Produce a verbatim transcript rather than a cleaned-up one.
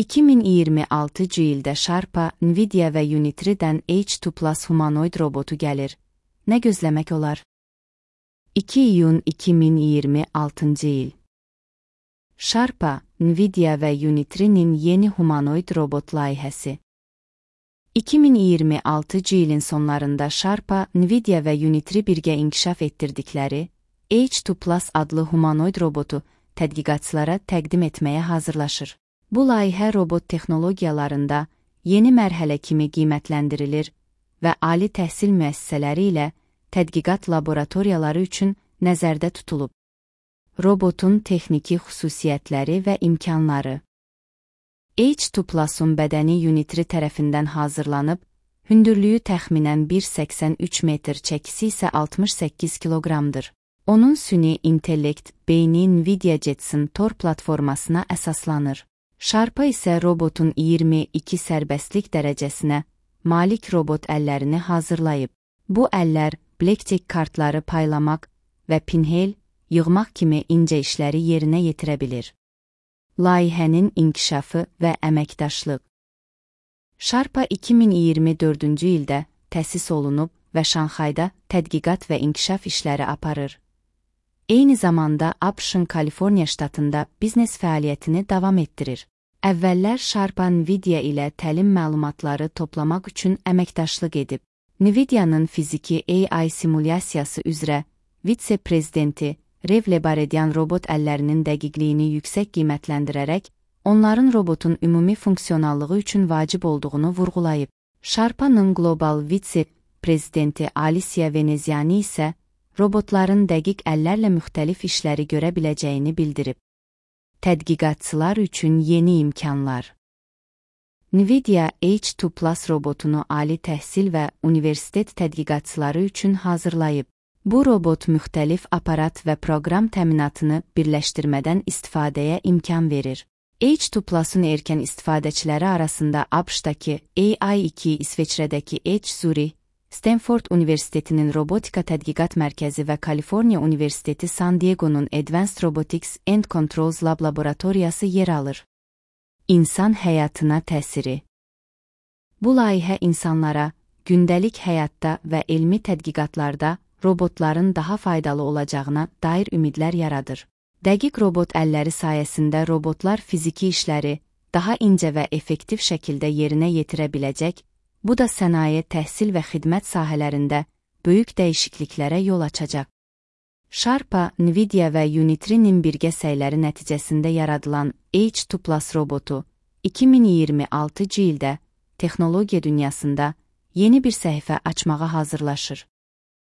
iki min iyirmi altıncı ildə Sharpa, Nvidia və Unitree-dən H iki Plus humanoid robotu gəlir. Nə gözləmək olar? iki iyun iki min iyirmi altıncı il. Sharpa, Nvidia və Unitree-nin yeni humanoid robot layihəsi. iki min iyirmi altıncı ilin sonlarında Sharpa, Nvidia və Unitree birgə inkişaf etdirdikləri H iki Plus adlı humanoid robotu tədqiqatçılara təqdim etməyə hazırlaşır. Bu layihə robot texnologiyalarında yeni mərhələ kimi qiymətləndirilir və ali təhsil müəssisələri ilə tədqiqat laboratoriyaları üçün nəzərdə tutulub. Robotun texniki xüsusiyyətləri və imkanları. H iki Plus-un bədəni Unitree tərəfindən hazırlanıb, hündürlüyü təxminən bir nöqtə səksən üç metr, çəkisi isə altmış səkkiz kiloqramdır. Onun süni intellekt beyni Nvidia Jetson Tor platformasına əsaslanır. Sharpa isə robotun iyirmi iki sərbəstlik dərəcəsinə malik robot əllərini hazırlayıb. Bu əllər blackjack kartları paylamaq və pinhel yığmaq kimi incə işləri yerinə yetirə bilir. Layihənin inkişafı və əməkdaşlıq. Sharpa iki min iyirmi dördüncü ildə təsis olunub və Şanxayda tədqiqat və inkişaf işləri aparır. Eyni zamanda ABŞ-ın Kaliforniya ştatında biznes fəaliyyətini davam etdirir. Əvvəllər Sharpa Nvidia ilə təlim məlumatları toplamaq üçün əməkdaşlıq edib. Nvidia'nın fiziki A I simulyasiyası üzrə vitse-prezidenti Rev Lebaredian robot əllərinin dəqiqliyini yüksək qiymətləndirərək, onların robotun ümumi funksionallığı üçün vacib olduğunu vurğulayıb. Sharpa'nın qlobal vitse-prezidenti Alicia Veneziani isə robotların dəqiq əllərlə müxtəlif işləri görə biləcəyini bildirib. Tədqiqatçılar üçün yeni imkanlar. Nvidia H iki Plus robotunu ali təhsil və universitet tədqiqatçıları üçün hazırlayıb. Bu robot müxtəlif aparat və proqram təminatını birləşdirmədən istifadəyə imkan verir. H iki Plus-un erkən istifadəçiləri arasında ABŞ-dakı A I iki, İsveçrədəki H Zurich, Stanford Universitetinin Robotika Tədqiqat Mərkəzi və Kaliforniya Universiteti San Diego'nun Advanced Robotics and Controls Lab laboratoriyası yer alır. İnsan həyatına təsiri. Bu layihə insanlara gündəlik həyatda və elmi tədqiqatlarda robotların daha faydalı olacağına dair ümidlər yaradır. Dəqiq robot əlləri sayəsində robotlar fiziki işləri daha incə və effektiv şəkildə yerinə yetirə biləcək, bu da sənaye, təhsil və xidmət sahələrində böyük dəyişikliklərə yol açacaq. Sharpa, Nvidia və Unitree-nin birgə səyləri nəticəsində yaradılan H iki Plus robotu iki min iyirmi altıncı ildə texnologiya dünyasında yeni bir səhifə açmağa hazırlaşır.